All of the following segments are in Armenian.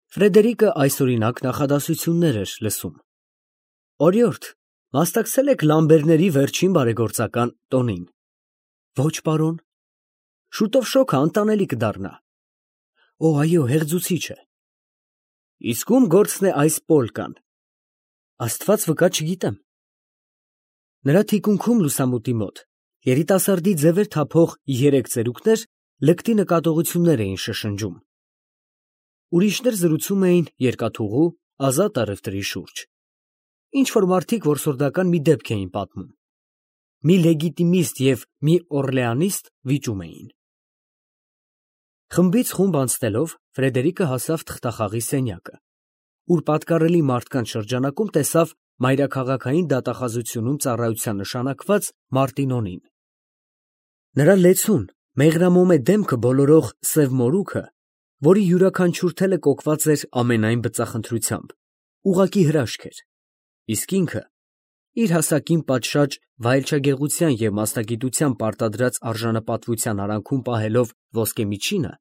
Ֆրեդերիկը այսօրինակ նախադասություններ էր լսում։ Օրիորդ, մասնակցել եք Լամբերների վերջին բարեգործական տոնին։ Ոչ, պարոն։ Շուտով շոգը անտանելի կդառնա։ Օ, այո, հեղձուցիչ է։ Իսկ ում գործն է այս պոլկան։ Աստված վկա չգիտեմ։ Նրա թիկունքում լուսամուտի մոտ երիտասարդի ձևեր թափող երեք ծերուկներ լկտի նկատողություններ էին շշնջում։ Ուրիշներ զրուցում էին երկաթուղու, ազատ առևտրի շուրջ։ Ինչ-որ մարդիկ որսորդական մի դեպք էին պատմում։ Մի լեգիտիմիստ և մի օրլեանիստ վիճում էին։ Խմբից խումբ անցնելով Ֆրեդերիկը հասավ թղթախաղի սենյակը, ուր պատկառելի մարդկանց շրջանակում տեսավ մայրաքաղաքային դատախազությունում ծառայության նշանակված Մարտինոնին։ Նրա լեցուն, մեղրամոմե դեմքը բոլորող սև մորուքը, որի յուրաքանչյուր թելը կոկված էր ամենայն բծախնդրությամբ, ուղղակի հրաշք էր, իսկ ինքը, իր հասակին պատշաճ վայելչագեղության և մասնագիտության պարտադրած արժանապատվության արանքում պահելով ոսկե միջինը,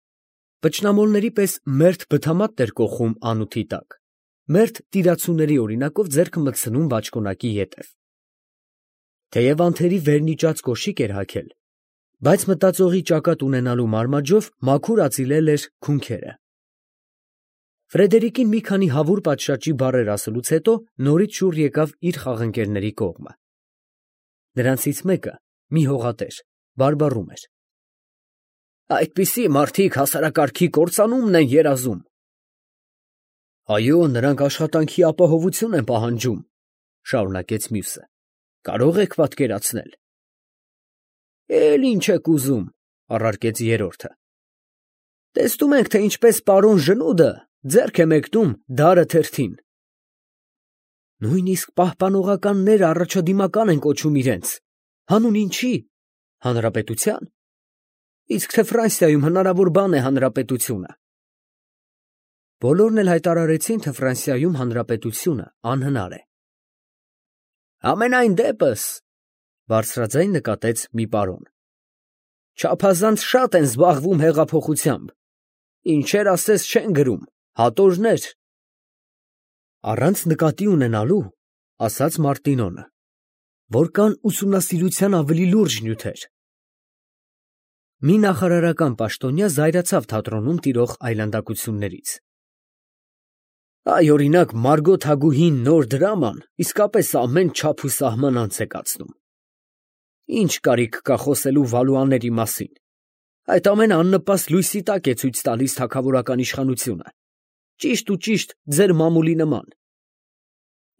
վճնամոլների պես մերթ բթամատն էր կոխում անութի տակ, մերթ տիրացուների օրինակով ձեռքը մտցնում բաճկոնակի ետև։ Թեև անթերի վերնիճած կոշիկ էր հագել, բայց մտածողի ճակատ ունենալու մարմաջով մաքուր ածիլել էր քունքերը։ Ֆրեդերիկին մի քանի հավուր պատշաճի բառեր ասելուց հետո նորից շուռ եկավ իր խաղընկերների կողմը։ Նրանցից մեկը, մի հողատեր, բարբառում էր. Այդպիսի մարդիկ հասարակարգի կործանումն են երազում։ Այո, նրանք աշխատանքի ապահովություն են պահանջում, շարունակեց մյուսը, կարող եք պատկերացնել։ Էլ ինչ եք ուզում, առարկեց երրորդը։ Տեսնում ենք, թե ինչպես պարոն Ժնուդը ձեռք է մեկնում դարը թերթին։ Նույնիսկ պահպանողականները առաջադիմական են կոչում իրենց, հանուն ինչի, հանրապետության։ Իսկ թե Ֆրանսիայում հնարավոր բան է հանրապետությունը։ Բոլորն էլ հայտարարեցին, թե Ֆրանսիայում հանրապետությունը անհնար է։ Ամենայն դեպս, բարձրաձայն նկատեց մի պարոն, չափազանց շատ են զբաղվում հեղափոխությամբ, ինչեր ասես չեն գրում, հատորներ։ Առանց նկատի ունենալու, ասաց Մարտինոնը, որ կան ուսումնասիրության ավելի լուրջ նյութեր։ Մի նախարարական պաշտոնյա զայրացավ թատրոնում տիրող այլանդակություններից։ Այ օրինակ Մարգոտ Հագուհին նոր դրաման իսկապես ամեն չափ ու սահման անց է կացնում։ Ինչ կարիք կա խոսելու Վալուաների մասին։ Այդ ամենը աննպաստ լույսի տակ է ցույց տալիս թագավորական իշխանությունը, ճիշտ ու ճիշտ ձեր մամուլի նման։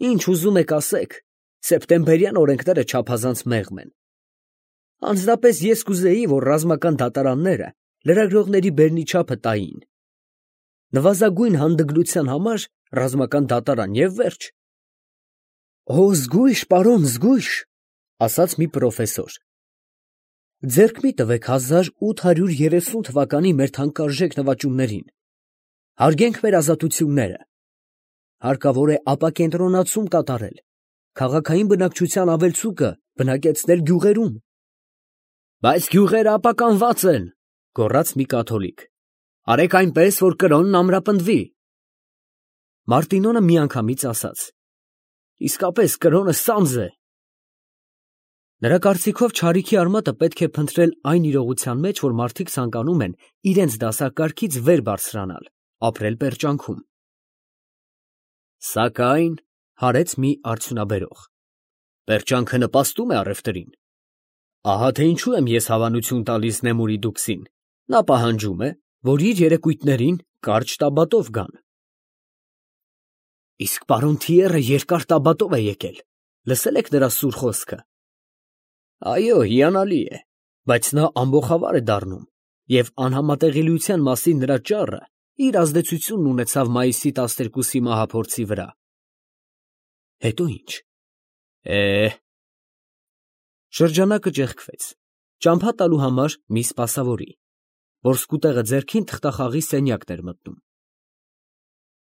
Ինչ ուզում եք ասեք, սեպտեմբերյան օրենքները չափազանց մեղմ են։ Անձնապես ես կուզեի, որ ռազմական դատարանները լրագրողների բերնի չափը տային։ Նվազագույն հանդգնության համար ռազմական դատարան և վերջ։ Օ, զգույշ, պարոն, զգույշ, ասաց մի պրոֆեսոր։ Ձեռք մի տվեք 1830 թվականի մեր թանկարժեք նվաճումներին։ Հարգենք մեր ազատությունները։ Հարկավոր է ապակենտրոնացում կատարել, քաղաքային բնակչության ավելցուկը բնակեցնել գյուղերում։ Բայց գյուղերը ապականված են, գոռաց մի կաթոլիկ։ Արեք այնպես, որ կրոնն ամրապնդվի։ Մարտինոնը միանգամից ասաց. Իսկապես կրոնը սանձ է։ Նրա կարծիքով չարիքի արմատը պետք է փնտրել այն իրողության մեջ, որ մարդիկ ցանկանում են իրենց դասակարգից վեր բարձրանալ, ապրել պերճանքում։ Սակայն, հարեց մի արդյունաբերող, պերճանքը նպաստում է առևտրին։ Ահա թե ինչու եմ ես հավանություն տալիս Նեմուրի դուքսին, նա պահանջում է, որ իր երեկույթներին կարճ տաբատով գան։ Իսկ պարոն Թիերը երկար տաբատով է եկել, լսել եք նրա սուր խոսքը։ Այո, հիանալի է, բայց նա ամբոխավար է դառնում, և անհամատեղելիության մասին նրա ճառը իր ազդեցությունն ունեցավ մայիսի 12-ի մահափորձի վրա։ Հետո ինչ։ Շրջանակը ճեղքվեց, ճամփա տալու համար մի սպասավորի, որ սկուտեղը ձեռքին թղթախաղի սենյակն էր մտնում։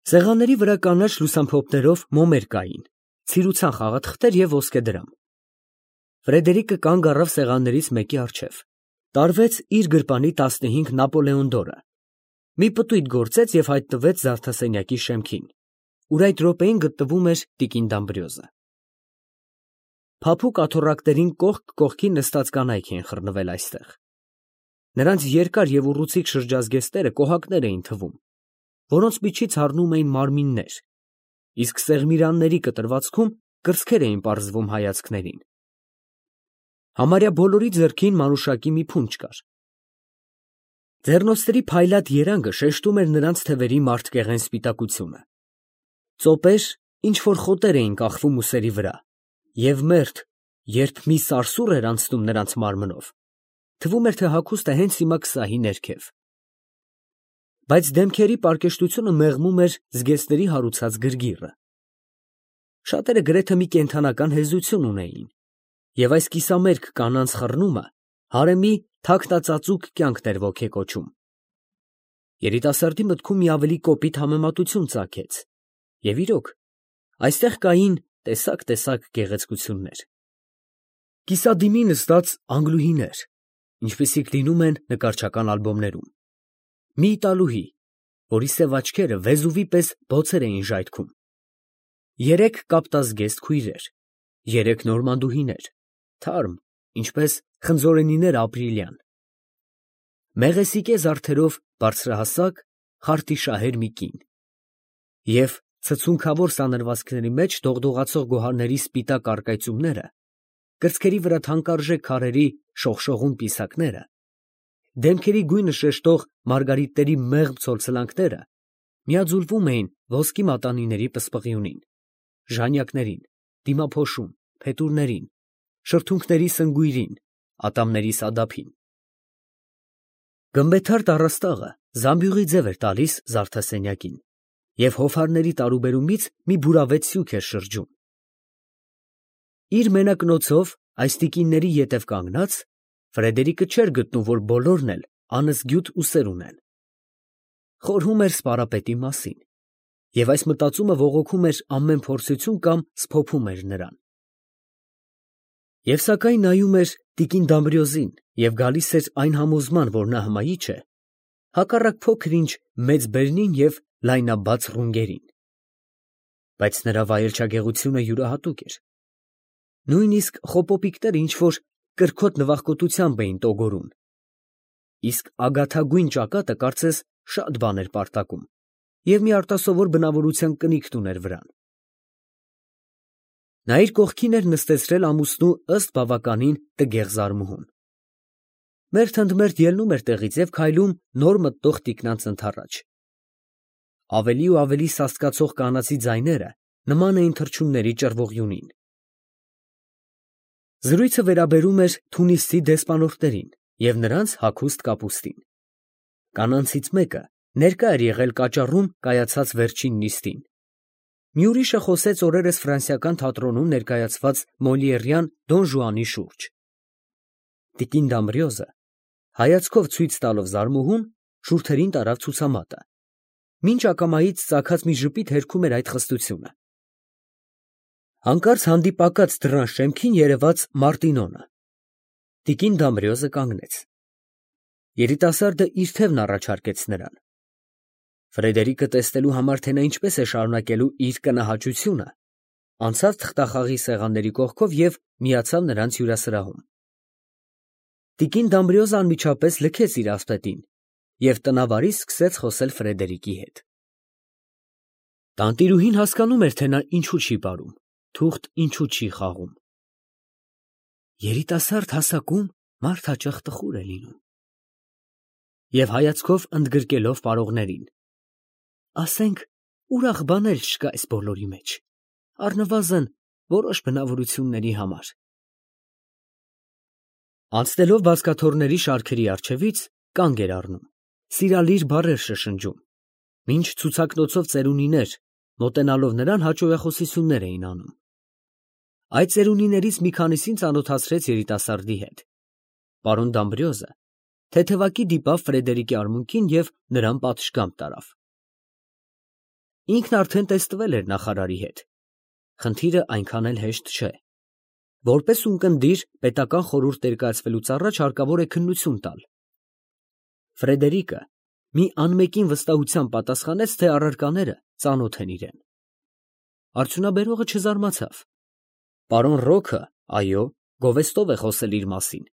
Սեղանների վրա կանաչ լուսամփոփներով մոմեր կային, ցիրուցան խաղաթղթեր և ոսկեդրամ։ Ֆրեդերիկը կանգ առավ սեղաններից մեկի առջև, տարվեց իր գրպանի 15 Նապոլեոն դորը, մի պտույտ գործեց և հայտնվեց զարդասենյակի շեմքին, ուր այդ րոպեին գտնվում էր տիկին Դամբրիոզը։ Փափուկ աթոռակներին կողք կողքի նստած կանայք էին խռնվել այստեղ։ Նրանց երկար և ուռուցիկ շրջազգեստները կոհակներ էին թվում, որոնց միջից հառնում էին մարմիններ, իսկ սեղմիրանների կտրվածքում կրծքեր էին պարզվում հայացքներին։ Համարյա բոլորի ձեռքին մանուշակի մի փունջ կար։ Ձեռնոցների փայլատ երանգը շեշտում էր նրանց թևերի մարդկեղեն սպիտակությունը։ Ծոպեր, ինչ-որ խոտեր էին կախվում ուսերի վրա, և մերթ, երբ մի սարսուռ էր անցնում նրանց մարմնով, թվում էր, թե հագուստը հենց հիմա կսահի ներքև։ Բայց դեմքերի պարկեշտությունը մեղմում էր զգեստների հարուցած գրգիռը։ Շատերը գրեթե մի կենդանական հեզություն ունեին, և այս կիսամերկ կանանց խռնումը հարեմի թաքնածածուկ կյանքն էր ոգեկոչում։ Երիտասարդի մտքում մի ավելի կոպիտ համեմատություն ծագեց, և իրոք, այստեղ կային տեսակ գեղեցկություններ։ Կիսադիմի նստած անգլուհիներ, ինչպիսիք լինում են նկարչական ալբոմներում, մի իտալուհի, որի սև աչքերը վեզուվի պես բոցեր էին ժայթքում, երեք կապտազգեստ քույրեր, երեք նորմանդուհիներ, թարմ, ինչպես խնձորենիներ ապրիլյան, մեղեսիկե զարդերով բարձրահասակ, խարտիշահեր մի կին, և ցցունքավոր սանրվածքների մեջ դողդողացող գոհարների սպիտակ առկայծումները, կրծքերի վրա թանկարժեք քարերի շողշողուն պիսակները, դեմքերի գույնը շեշտող մարգարիտների մեղմ ցոլցլանքները միաձուլվում էին ոսկի մատանիների պսպղիունին, ժանյակներին, դիմափոշուն, փետուրներին, շրթունքների սնգույրին, ատամների սադափին։ Գմբեթարդ առաստաղը զամբյուղի ձև էր տալիս զարդասենյակին, և հովհարների տարուբերումից մի բուրավետ սյուք էր շրջում։ Իր մենակնոցով այս տիկինների ետև կանգնած, Ֆրեդերիկը չէր գտնում, որ բոլորն էլ անզգյուտ ուսեր ունեն։ Խորհում էր սպարապետի մասին, և այս մտածումը ողոքում էր ամեն փորձություն կամ սփոփում էր նրան։ Եվ սակայն նայում էր տիկին Դամբրիոզին և գալիս էր այն համոզման, որ նա հմայիչ է, հակառակ փոքր-ինչ մեծ բերնին և լայնաբաց ռունգերին։ Բայց նրա վայելչագեղությունը յուրահատուկ էր։ Նույնիսկ խոպոպիկները ինչ-որ կրքոտ նվախկոտությամբ էին տոգորում, իսկ ագաթագույն ճակատը կարծես շատ բան էր պարտակում և մի արտասովոր բնավորության կնիքտ ուներ վրան։ Նա իր կողքին էր նստեցրել ամուսնու ըստ բավականին տգեղ զարմուհուն։ Մերթ ընդ մերթ ելնում էր տեղից և քայլում նոր մտնող տիկնանց ընդառաջ։ Ավելի ու ավելի սաստկացող կանացի ձայները նման էին թռչունների ճռվողյունին։ Զրույցը վերաբերում էր Թունիսցի դեսպանորդներին և նրանց հագուստ կապուստին։ Կանանցից մեկը ներկա էր եղել կաճառում կայացած վերջին նիստին։ Մի ուրիշը խոսեց օրերս ֆրանսիական թատրոնում ներկայացված Մոլիերյան Դոն Ժուանի շուրջ։ Տիկին Դամբրիոզը, հայացքով ցույց տալով զարմուհուն, շուրթերին տարավ ցուցամատը, մինչ ակամայից ծագած մի ժպիտ հերքում էր այդ խստությունը։ Հանկարծ հանդիպակաց դռան շեմքին երևաց Մարտինոնը։ Տիկին Դամբրիոզը կանգնեց։ Երիտասարդը իր թևն առաջարկեց նրան։ Ֆրեդերիկը տեսնելու համար, թե նա ինչպես է շարունակելու իր կնահաճությունը, անցավ թղթախաղի սեղանների կողքով և միացավ նրանց հյուրասրահում։ Տիկին Դամբրիոզը անմիջապես լքեց իր ասպետին և տնավարի սկսեց խոսել Ֆրեդերիկի հետ։ Տանտիրուհին հասկանում էր, թե նա ինչու չի պարում, թուղթ ինչու չի խաղում։ Երիտասարդ հասակում մարդ հաճախ տխուր է լինում։ Եվ հայացքով ընդգրկելով պարողներին, ասենք, ուրախ բան էլ չկա այս բոլորի մեջ, առնվազն որոշ բնավորությունների համար։ Անցնելով բազկաթոռների շարքերի առջևից, կանգ էր առնում, սիրալիր բառեր շշնջում, մինչ ցուցակնոցով ծերունիներ, մոտենալով նրան, հաճոյախոսություններ էին անում։ Այդ ծերունիներից մի քանիսին ծանոթացրեց երիտասարդի հետ։ Պարոն Դամբրիոզը թեթևակի դիպավ Ֆրեդերիկի արմունկին և նրան պատշգամբ տարավ։ Ինքն արդեն տեստվել էր նախարարի հետ։ Խնդիրը այնքան էլ հեշտ չէ։ Որպես ունկնդիր պետական խորհուրդ ներկայացվելուց առաջ հարկավոր է քննություն տալ։ Ֆրեդերիկը մի անմեկին վստահությամբ պատասխանեց, թե առարկաները ծանոթ են իրեն։ Արդյունաբերողը չզարմացավ։ Պարոն Ռոքը, այո, գովեստով է խոսել իր մասին։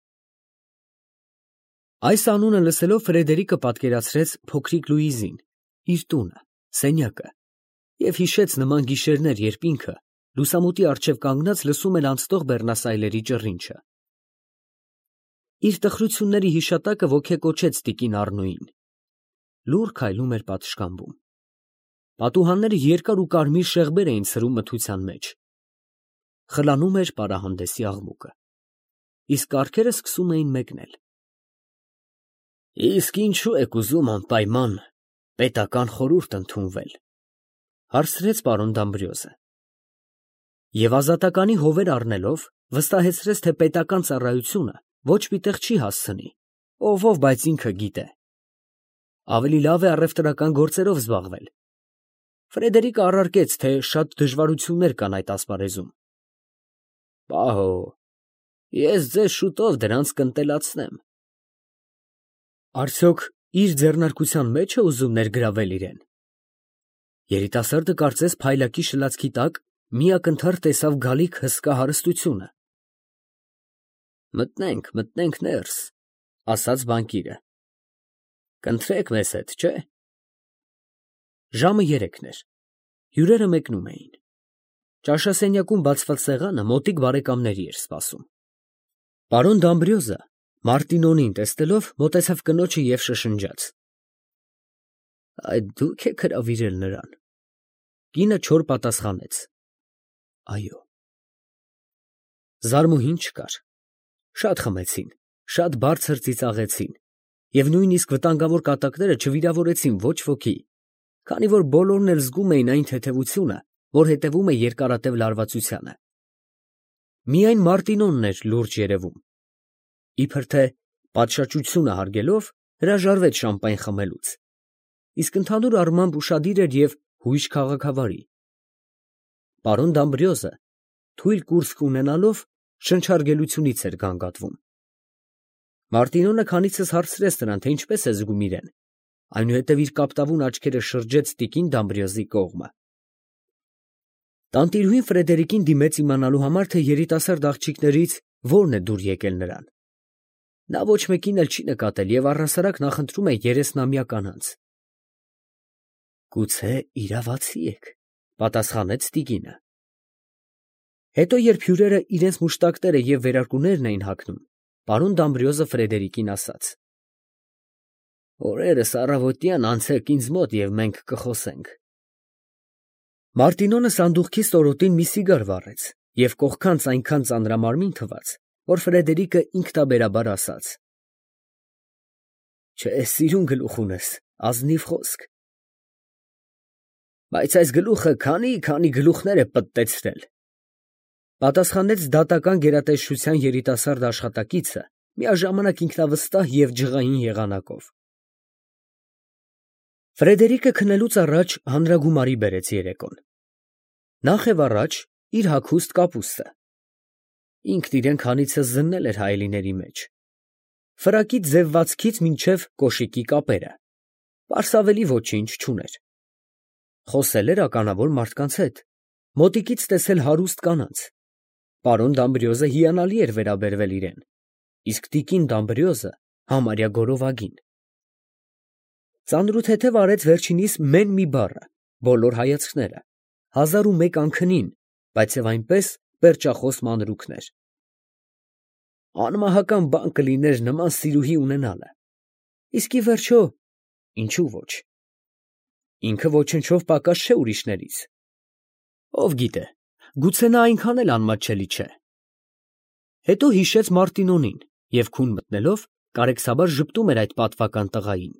Այս անունը լսելով Ֆրեդերիկը պատկերացրեց փոքրիկ Լուիզին, իր տունը, սենյակը, և հիշեց նման գիշերներ, երբ ինքը լուսամուտի առջև կանգնած լսում էր անցնող բեռնասայլերի ճռինչը։ Իր տխրությունների հիշատակը ոգեկոչեց տիկին Առնոյին։ Լուռ քայլում էր պատշգամբում։ Պատուհանները երկար ու կարմիր շեղբեր էին ցրում մթության մեջ։ Խլանում էր պարահանդեսի աղմուկը, իսկ կառքերը սկսում էին մեկնել։ Իսկ ինչու եք ուզում անպայման պետական խորհուրդ ընդունվել, հարցրեց պարոն Դամբրիոզը։ Եվ ազատականի հովեր առնելով վստահեցրեց, թե պետական ծառայությունը ոչ մի տեղ չի հասցնի, ով, բայց ինքը գիտե։ Ավելի լավ է առևտրական գործերով զբաղվել։ Ֆրեդերիկը առարկեց, թե շատ դժվարություններ կան այդ ասպարեզում։ Պահո, ես ձեզ շուտով դրանց կընտելացնեմ։ Արդյոք իր ձեռնարկության մեջ է ուզում ներգրավել իրեն։ Երիտասարդը կարծես փայլակի շլացքի տակ մի ակնթարթ տեսավ գալիք հսկա հարստությունը։ Մտնենք ներս, ասաց բանկիրը։ Կընտրեք մեզ հետ, չէ՞։ Ժամը 3-ն էր։ Հյուրերը մեկնում էին։ Ճաշասենյակում բացված սեղանը մոտիկ բարեկամների էր սպասում։ Պարոն Դամբրիոզը Մարտինոնին տեսնելով մոտեցավ կնոջը և շշնջաց. Այդ դուք եք հրավիրել նրան։ Կինը չոր պատասխանեց. Այո։ Զարմուհին չկար։ Շատ խմեցին, շատ բարձր ծիծաղեցին, և նույնիսկ վտանգավոր կատակները չվիրավորեցին ոչ ոքի, քանի որ բոլորն էլ զգում էին այն թեթևությունը, որ հետևում է երկարատև լարվածությանը։ Միայն Մարտինոնն էր լուրջ երևում։ Իբր թե պատշաճությունը հարգելով հրաժարվեց շամպայն խմելուց, իսկ ընդհանուր առմամբ ուշադիր էր և հույժ քաղաքավարի։ Պարոն Դամբրիոզը թույլ կուրծք ունենալով շնչարգելությունից էր գանգատվում։ Մարտինոնը քանիցս հարցրեց նրան, թե ինչպես է զգում իրեն, այնուհետև իր կապտավուն աչքերը շրջեց տիկին Դամբրիոզի կողմը։ Տանտիրուհին Ֆրեդերիկին դիմեց իմանալու համար, թե երիտասարդ աղջիկներից որն է դուր եկել նրան։ Նա ոչ մեկին էլ չի նկատել և առհասարակ նախընտրում է 30-ամյա կանանց։ Գուցե իրավացի եք, պատասխանեց տիկինը։ Հետո, երբ հյուրերը իրենց մուշտակները և վերարկուներն էին հագնում, պարոն Դամբրիոզը Ֆրեդերիկին ասաց. Օրերս առավոտյան անցեք ինձ մոտ և մենք կխոսենք։ Մարտինոնը սանդուղքի ստորոտին մի սիգար վառեց և կողքանց այնքան ծանրամարմին թվաց, որ Ֆրեդերիկը ինքնաբերաբար ասաց. Չէ, սիրուն գլուխ ունես, ազնիվ խոսք։ Բայց այս գլուխը քանի գլուխներ է պտտեցրել, պատասխանեց դատական գերատեսչության երիտասարդ աշխատակիցը, միաժամանակ ինքնավստահ և ջղային եղանակով։ Ֆրեդերիկը քնելուց առաջ հանրագումարի բերեց երեկոն։ Նախ և առաջ իր հագուստ կապուստը։ Ինքն իրեն քանիցս զննել էր հայելիների մեջ։ Ֆրակի ձևվածքից մինչև կոշիկի կապերը։ Պարսավելի ոչինչ չուներ։ Խոսել էր ականավոր մարդկանց հետ, մոտիկից տեսել հարուստ կանանց։ Պարոն Դամբրիոզը հիանալի էր վերաբերվել իրեն, իսկ տիկին Դամբրիոզը համարյա գորովագին։ Ծանրութեթև արեց վերջինիս մեն մի բառը, բոլոր հայացքները, 1001 անքնին, բայց և այնպես պերճախոս մանրուքներ։ Անմահական բան կլիներ նման սիրուհի ունենալը, իսկ ի վերջո, ինչու ոչ։ Ինքը ոչնչով պակաս չէ ուրիշներից։ Ով գիտե, գուցե նա այնքան էլ անմատչելի չէ։ Հետո հիշեց Մարտինոնին և քուն մտնելով կարեկցաբար ժպտում էր այդ պատվական տղային։